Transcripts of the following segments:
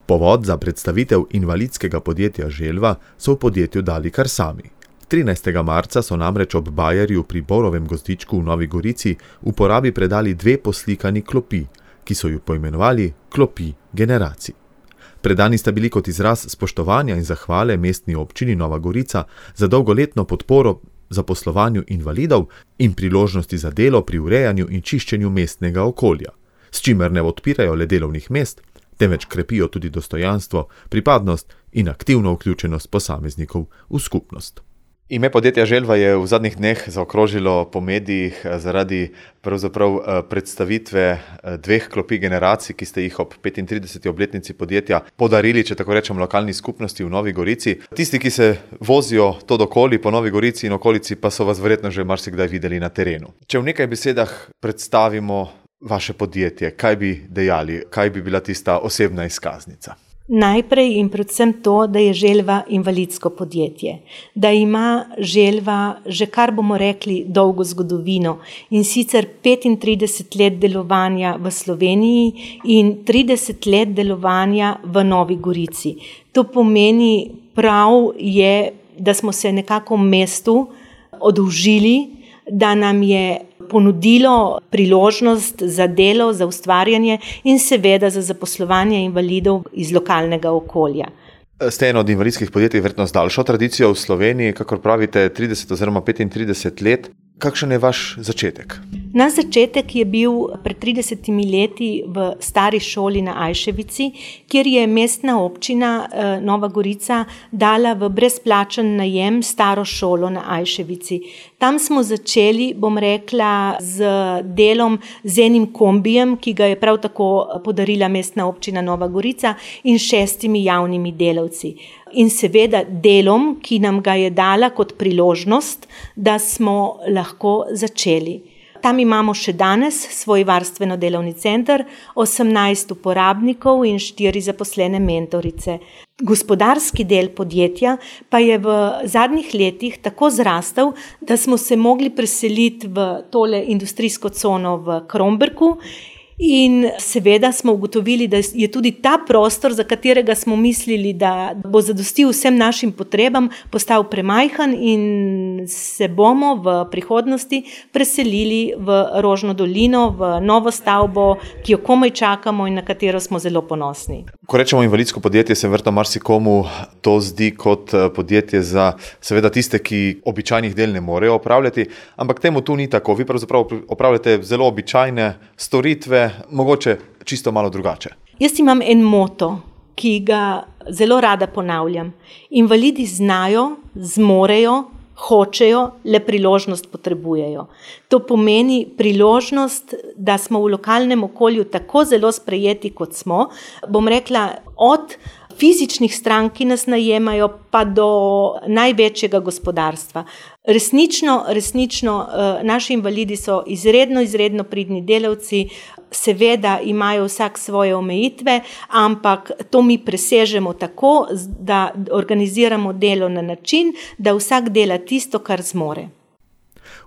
Povod za predstavitev invalidskega podjetja Želva so v podjetju dali kar sami. 13. marca so namreč ob Bajerju pri Borovem gozdičku v Novi Gorici uporabi predali 2 poslikani klopi, ki so ju poimenovali klopi generacij. Predani sta bili kot izraz spoštovanja in zahvale mestni občini Nova Gorica za dolgoletno podporo zaposlovanju invalidov in priložnosti za delo pri urejanju in čiščenju mestnega okolja, s čimer ne odpirajo le delovnih mest, temveč krepijo tudi dostojanstvo, pripadnost in aktivno vključenost posameznikov v skupnost. Ime podjetja Želva je v zadnjih dneh zaokrožilo po medijih zaradi pravzaprav predstavitve 2 klopi generacij, ki ste jih ob 35. obletnici podjetja podarili, če tako rečem, lokalni skupnosti v Novi Gorici. Tisti, ki se vozijo to dokoli po Novi Gorici in okolici, pa so vas verjetno že marsikdaj videli na terenu. Če v nekaj besedah predstavimo vaše podjetje, kaj bi dejali, kaj bi bila tista osebna izkaznica? Najprej in predvsem to, da je Želva invalidsko podjetje, da ima Želva že kar bomo rekli dolgo zgodovino in sicer 35 let delovanja v Sloveniji in 30 let delovanja v Novi Gorici. To pomeni, prav je, da smo se nekako v mestu oddolžili, da nam je ponudilo priložnost za delo, za ustvarjanje in seveda za zaposlovanje invalidov iz lokalnega okolja. Ste eno od invalidskih podjetij verjetno z daljšo tradicijo v Sloveniji, kakor pravite 30 oziroma 35 let. Kakšen je vaš začetek? Naš začetek je bil pred 30 leti v stari šoli na Ajševici, kjer je mestna občina Nova Gorica dala v brezplačen najem staro šolo na Ajševici. Tam smo začeli, bom rekla, z delom z enim kombijem, ki ga je prav tako podarila mestna občina Nova Gorica in 6 javnimi delavci. In seveda delom, ki nam ga je dala kot priložnost, da smo lahko začeli. Tam imamo še danes svoj varstveno-delovni center, 18 uporabnikov in 4 zaposlene mentorice. Gospodarski del podjetja pa je v zadnjih letih tako zrastel, da smo se mogli preseliti v tole industrijsko cono v Kromberku. In seveda smo ugotovili, da je tudi ta prostor, za katerega smo mislili, da bo zadostil vsem našim potrebam, postal premajhen in se bomo v prihodnosti preselili v Rožno dolino, v novo stavbo, ki jo komaj čakamo in na katero smo zelo ponosni. Ko rečemo invalidsko podjetje, se verjetno marsikomu to zdi kot podjetje za seveda tiste, ki običajnih del ne morejo opravljati, ampak temu tu ni tako. Vi pravzaprav opravljate zelo običajne storitve, mogoče čisto malo drugače. Jaz imam en moto, ki ga zelo rada ponavljam. Invalidi znajo, zmorejo, hočejo, le priložnost potrebujejo. To pomeni priložnost, da smo v lokalnem okolju tako zelo sprejeti, kot smo. Bom rekla, od fizičnih strank, ki nas najemajo, pa do največjega gospodarstva. Resnično, naši invalidi so izredno pridni delavci, seveda imajo vsak svoje omejitve, ampak to mi presežemo tako, da organiziramo delo na način, da vsak dela tisto, kar zmore.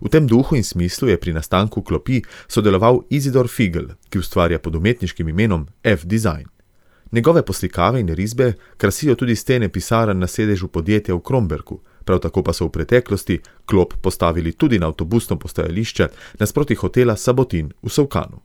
V tem duhu in smislu je pri nastanku klopi sodeloval Izidor Figl, ki ustvarja pod umetniškim imenom F-Design. Njegove poslikave in risbe krasijo tudi stene pisarn na sedežu podjetja v Kromberku, prav tako pa so v preteklosti klop postavili tudi na avtobusno postajališče nasproti hotela Sabotin v Solkanu.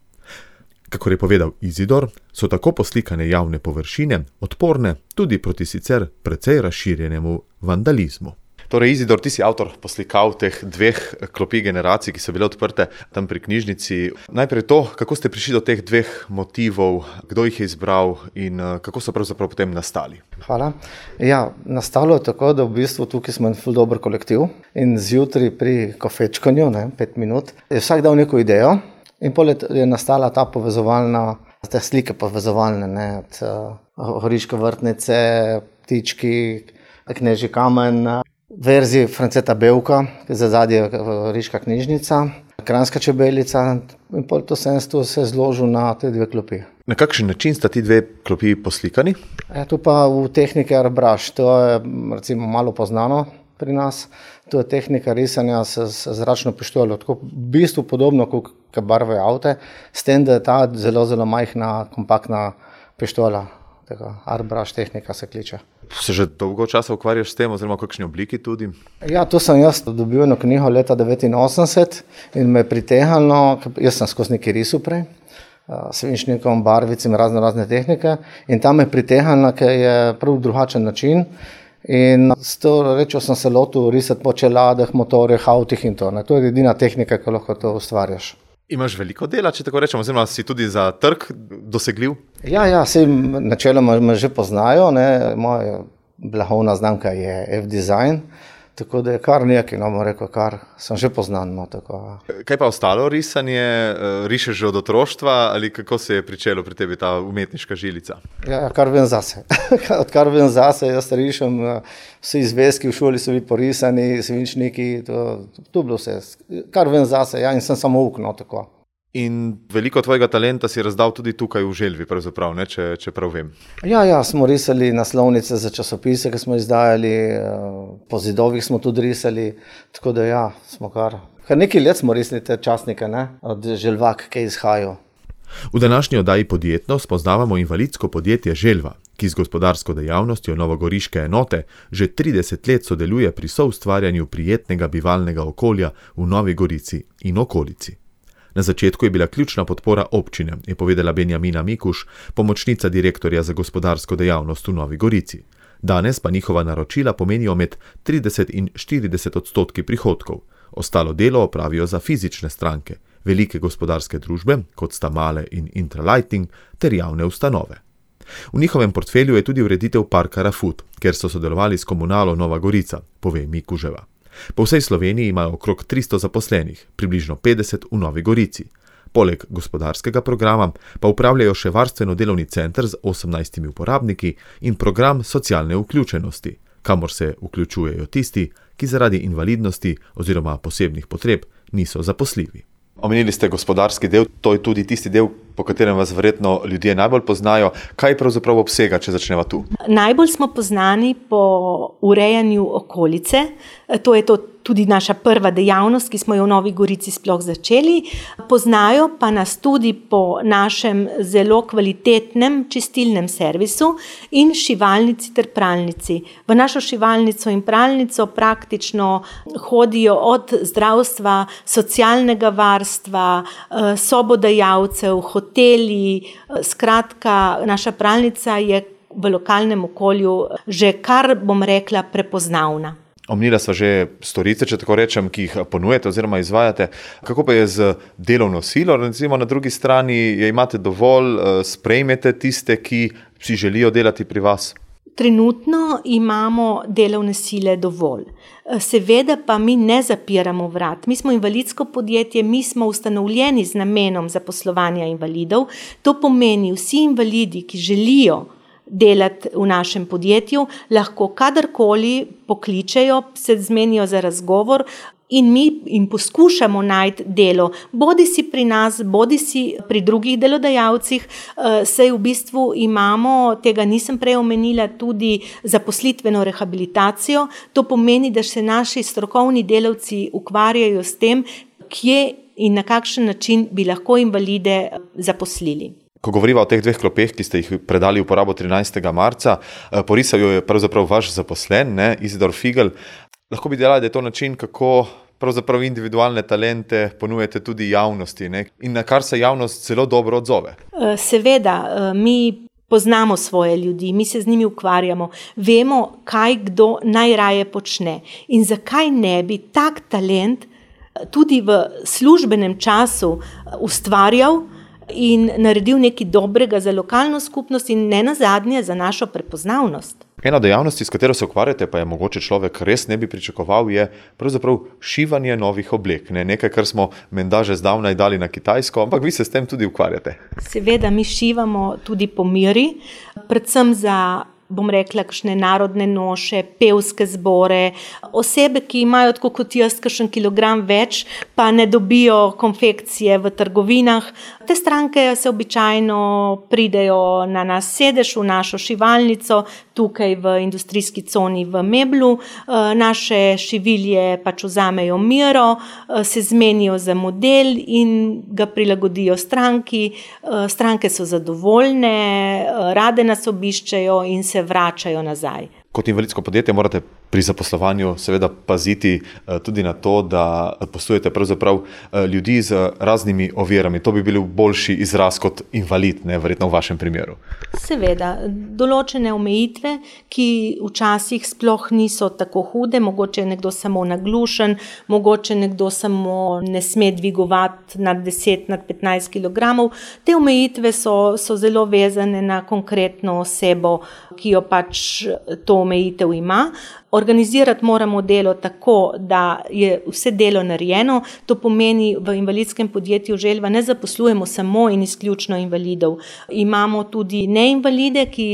Kakor je povedal Izidor, so tako poslikane javne površine odporne tudi proti sicer precej razširjenemu vandalizmu. Torej, Izidor, ti si avtor poslikav teh 2 klopi generacij, ki so bile odprte tam pri knjižnici. Najprej to, kako ste prišli do teh 2 motivov, kdo jih je izbral in kako so pravzaprav potem nastali? Hvala. Ja, nastalo je tako, da v bistvu tukaj smo en ful dober kolektiv in zjutraj pri kofečkanju, 5 minut, je vsak dal neko idejo in poleg je nastala ta povezovalna, te slike povezovalne, od Horiške vrtnice, ptički, Knežji kamen, verziji Franceta Bevka, ki je zadnje Horiška knjižnica, Kranjska čebelica in poleg to se je zložil na te 2 klopi. Na kakšen način sta ti 2 klopi poslikani? To pa v tehniki airbrush, to je recimo malo poznano pri nas. To je tehnika risanja z zračno pištolo, tako v bistvu podobno kot barve avte, s tem, da je ta zelo majhna, kompaktna pištola Airbrush tehnika se kliče. Se že dolgo časa ukvarjaš s tem, oziroma v kakšni obliki tudi? Ja, to sem jaz dobil eno knjigo leta 1989 in me je pritehnilo, jaz sem skozi neki risal prej, svinčnikom, barvicim, razne tehnike in tam me je pritehnilo, ker je prav drugačen način in s to rečjo sem se lotil risati po čeladeh, motorjih, avtih in to. Ne. To je edina tehnika, ki lahko to ustvarjaš. Imaš veliko dela, če tako rečemo, oziroma si tudi za trg dosegljiv? Ja, sej načeloma me že poznajo, ne. Moja blagovna znamka je F-Design, tako da je kar nekaj, no bom rekel, kar sem že poznan. No, tako. Kaj pa ostalo risanje? Rišeš že od otroštva ali kako se je pričelo pri tebi ta umetniška žilica? Ja, kar vem zase. Odkar vem zase, jaz rišem, vsi zvezki v šoli so bili porisani, svinčniki, to bilo vse. Kar vem zase, ja, in sem samo ukno, tako. In veliko tvojega talenta si razdal tudi tukaj v Želvi, pravzaprav, ne, če prav vem. Ja, smo risali naslovnice za časopise, ki smo izdajali, po zidovih smo tudi risali, tako da ja, smo kar nekaj let smo risali te časnike, ne, od Želvak, ki izhajajo. V današnji oddaji Podjetno spoznavamo invalidsko podjetje Želva, ki z gospodarsko dejavnostjo novogoriške enote že 30 let sodeluje pri soustvarjanju prijetnega bivalnega okolja v Novi Gorici in okolici. Na začetku je bila ključna podpora občine, je povedala Benjamina Mikuš, pomočnica direktorja za gospodarsko dejavnost v Novi Gorici. Danes pa njihova naročila pomenijo med 30 in 40% prihodkov. Ostalo delo opravijo za fizične stranke, velike gospodarske družbe, kot sta Male in Intralighting, ter javne ustanove. V njihovem portfelju je tudi ureditev parka Rafut, kjer so sodelovali s komunalo Nova Gorica, pove Mikuževa. Po vsej Sloveniji imajo okrog 300 zaposlenih, približno 50 v Novi Gorici. Poleg gospodarskega programa pa upravljajo še varstveno-delovni center z 18 uporabniki in program socialne vključenosti, kamor se vključujejo tisti, ki zaradi invalidnosti oziroma posebnih potreb niso zaposljivi. Omenili ste gospodarski del, to je tudi tisti del, po katerem vas verjetno ljudje najbolj poznajo. Kaj pravzaprav obsega, če začneva tu? Najbolj smo poznani po urejanju okolice, to je tudi naša prva dejavnost, ki smo jo v Novi Gorici sploh začeli. Poznajo pa nas tudi po našem zelo kvalitetnem čistilnem servisu in šivalnici ter pralnici. V našo šivalnico in pralnico praktično hodijo od zdravstva, socialnega varstva, sobodajalcev, hoteli. Skratka, naša pralnica je v lokalnem okolju že kar, bom rekla, prepoznavna. Omenila sva že storice, če tako rečem, ki jih ponujete oziroma izvajate. Kako pa je z delovno silo? Recimo na drugi strani, je imate dovolj, sprejmete tiste, ki si želijo delati pri vas? Trenutno imamo delovne sile dovolj. Seveda pa mi ne zapiramo vrat. Mi smo invalidsko podjetje, mi smo ustanovljeni z namenom zaposlovanja invalidov. To pomeni, vsi invalidi, ki želijo delati v našem podjetju, lahko kadarkoli pokličejo, se zmenijo za razgovor in mi jim poskušamo najti delo, bodi si pri nas, bodi si pri drugih delodajalcih, saj v bistvu imamo, tega nisem prej omenila, tudi zaposlitveno rehabilitacijo. To pomeni, da se naši strokovni delavci ukvarjajo s tem, kje in na kakšen način bi lahko invalide zaposlili. Ko govoriva o teh dveh klopeh, ki ste jih predali v uporabo 13. marca, porisal jo je pravzaprav vaš zaposlen, Izidor Figl. Lahko bi delali, da je to način, kako pravzaprav individualne talente ponujete tudi javnosti, in na kar se javnost zelo dobro odzove. Seveda, mi poznamo svoje ljudi, mi se z njimi ukvarjamo, vemo, kaj kdo najraje počne in zakaj ne bi tak talent tudi v službenem času ustvarjal in naredil nekaj dobrega za lokalno skupnost in ne nazadnje za našo prepoznavnost. Ena dejavnosti, s katero se ukvarjate, pa je mogoče človek res ne bi pričakoval, je pravzaprav šivanje novih oblek. Nekaj, kar smo menda že zdavnaj dali na Kitajsko, ampak vi se s tem tudi ukvarjate. Seveda, mi šivamo tudi po meri, predvsem za bom rekla, kakšne narodne noše, pevske zbore, osebe, ki imajo tako kot jaz kakšen kilogram več, pa ne dobijo konfekcije v trgovinah. Te stranke se običajno pridejo na nas sedež, v našo šivalnico, tukaj v industrijski coni v Meblu. Naše šivilje pač vzamejo mero, se zmenijo za model in ga prilagodijo stranki. Stranke so zadovoljne, rade nas obiščejo in se vračajo nazaj. Kot invalidsko podjetje morate pri zaposlovanju seveda paziti tudi na to, da poslujete pravzaprav ljudi z raznimi ovirami. To bi bil boljši izraz kot invalid, ne, verjetno v vašem primeru. Seveda, določene omejitve, ki včasih sploh niso tako hude, mogoče je nekdo samo naglušen, mogoče nekdo samo ne sme dvigovati nad 10, nad 15 kg. Te omejitve so zelo vezane na konkretno osebo, ki jo pač to omejitev ima. Organizirati moramo delo tako, da je vse delo narejeno. To pomeni, v invalidskem podjetju Želva ne zaposlujemo samo in izključno invalidov. Imamo tudi neinvalide, ki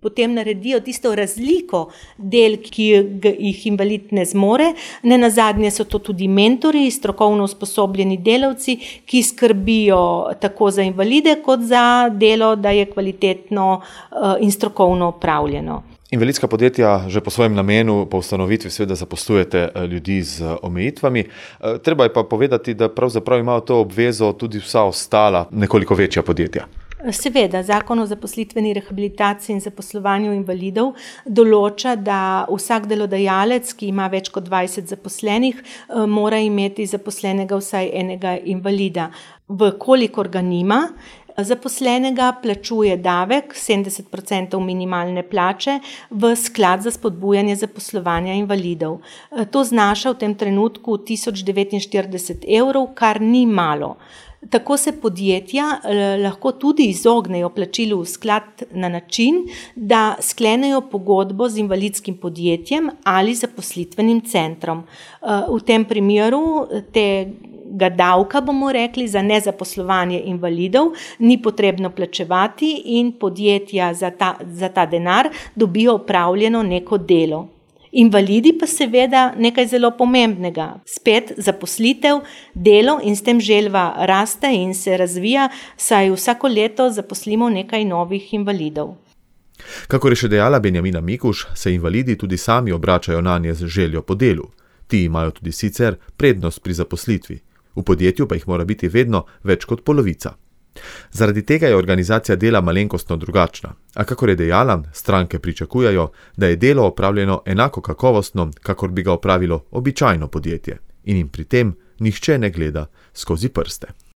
potem naredijo tisto razliko del, ki jih invalid ne zmore. Nenazadnje so to tudi mentori, strokovno usposobljeni delavci, ki skrbijo tako za invalide, kot za delo, da je kvalitetno in strokovno opravljeno. Invalidska podjetja že po svojem namenu, po ustanovitvi seveda zaposlujete ljudi z omejitvami. Treba je pa povedati, da pravzaprav imajo to obvezo tudi vsa ostala nekoliko večja podjetja. Seveda, Zakon o zaposlitveni rehabilitaciji in zaposlovanju invalidov določa, da vsak delodajalec, ki ima več kot 20 zaposlenih, mora imeti zaposlenega vsaj enega invalida. Vkolikor ga nima, zaposlenega plačuje davek 70% minimalne plače v sklad za spodbujanje zaposlovanja invalidov. To znaša v tem trenutku 1049 evrov, kar ni malo. Tako se podjetja lahko tudi izognejo plačilu v sklad na način, da sklenejo pogodbo z invalidskim podjetjem ali zaposlitvenim centrom. V tem primeru tega davka, bomo rekli, za nezaposlovanje invalidov ni potrebno plačevati in podjetja za ta denar dobijo opravljeno neko delo. Invalidi pa seveda nekaj zelo pomembnega. Spet zaposlitev, delo in s tem Želva raste in se razvija, saj vsako leto zaposlimo nekaj novih invalidov. Kakor je še dejala Benjamina Mikuš, se invalidi tudi sami obračajo nanje z željo po delu. Ti imajo tudi sicer prednost pri zaposlitvi. V podjetju pa jih mora biti vedno več kot polovica. Zaradi tega je organizacija dela malenkostno drugačna, a kakor je dejala, stranke pričakujejo, da je delo opravljeno enako kakovostno, kakor bi ga opravilo običajno podjetje in jim pri tem nihče ne gleda skozi prste.